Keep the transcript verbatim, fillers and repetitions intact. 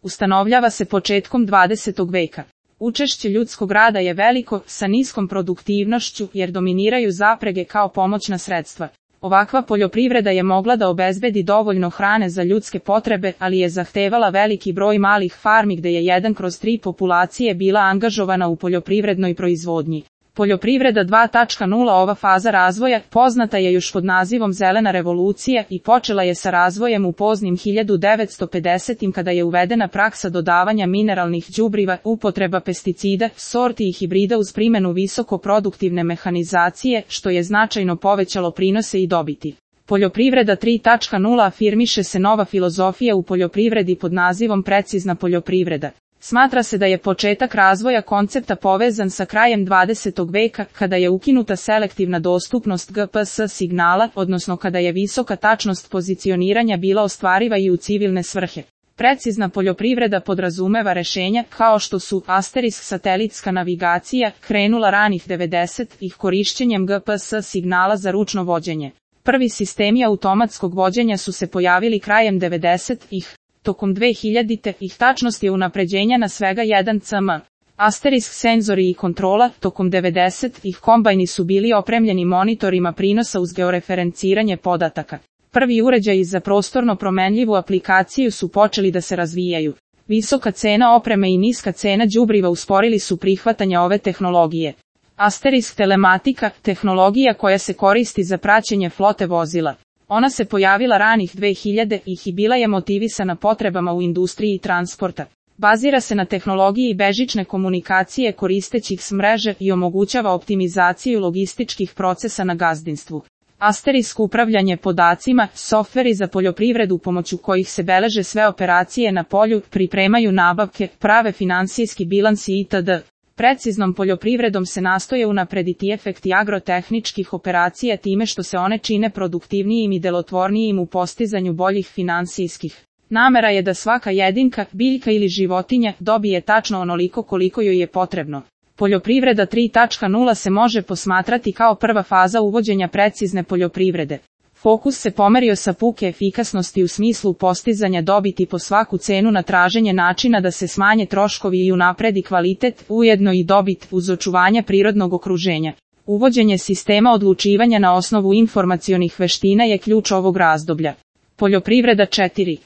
ustanovljava se početkom dvadesetog veka. Učešće ljudskog rada je veliko, sa niskom produktivnošću, jer dominiraju zaprege kao pomoćna sredstva. Ovakva poljoprivreda je mogla da obezbedi dovoljno hrane za ljudske potrebe, ali je zahtevala veliki broj malih farmi gde je jedan kroz tri populacije bila angažovana u poljoprivrednoj proizvodnji. Poljoprivreda dva točka nula Ova faza razvoja poznata je još pod nazivom zelena revolucija i počela je sa razvojem u poznim hiljadu devetsto pedesetim kada je uvedena praksa dodavanja mineralnih đubriva, upotreba pesticida, sorti i hibrida uz primjenu visoko produktivne mehanizacije, što je značajno povećalo prinose i dobiti. Poljoprivreda tri točka nula afirmiše se nova filozofija u poljoprivredi pod nazivom precizna poljoprivreda. Smatra se da je početak razvoja koncepta povezan sa krajem dvadesetog veka, kada je ukinuta selektivna dostupnost G P S signala, odnosno kada je visoka tačnost pozicioniranja bila ostvariva i u civilne svrhe. Precizna poljoprivreda podrazumeva rešenja, kao što su asterisk satelitska navigacija, krenula ranih devedesetih korišćenjem G P S signala za ručno vođenje. Prvi sistemi automatskog vođenja su se pojavili krajem devedesetih. Tokom dve hiljaditih tačnost je unapređenja na svega jedan centimetar. Asterisk senzori i kontrola, tokom devedesetih kombajni su bili opremljeni monitorima prinosa uz georeferenciranje podataka. Prvi uređaji za prostorno promenljivu aplikaciju su počeli da se razvijaju. Visoka cena opreme i niska cena đubriva usporili su prihvatanje ove tehnologije. Asterisk telematika, tehnologija koja se koristi za praćenje flote vozila. Ona se pojavila ranih dve hiljaditih i bila je motivisana potrebama u industriji transporta. Bazira se na tehnologiji bežične komunikacije koristećih s mreže i omogućava optimizaciju logističkih procesa na gazdinstvu. Asterisk upravljanje podacima, softveri za poljoprivredu pomoću kojih se beleže sve operacije na polju, pripremaju nabavke, prave finansijski bilansi itd. Preciznom poljoprivredom se nastoje unaprediti efekti agrotehničkih operacija time što se one čine produktivnijim i delotvornijim u postizanju boljih finansijskih. Namera je da svaka jedinka, biljka ili životinja dobije tačno onoliko koliko joj je potrebno. Poljoprivreda tri točka nula se može posmatrati kao prva faza uvođenja precizne poljoprivrede. Fokus se pomerio sa puke efikasnosti u smislu postizanja dobiti po svaku cenu na traženje načina da se smanje troškovi i unapredi kvalitet, ujedno i dobit uz očuvanje prirodnog okruženja. Uvođenje sistema odlučivanja na osnovu informacionih veština je ključ ovog razdoblja. Poljoprivreda četiri.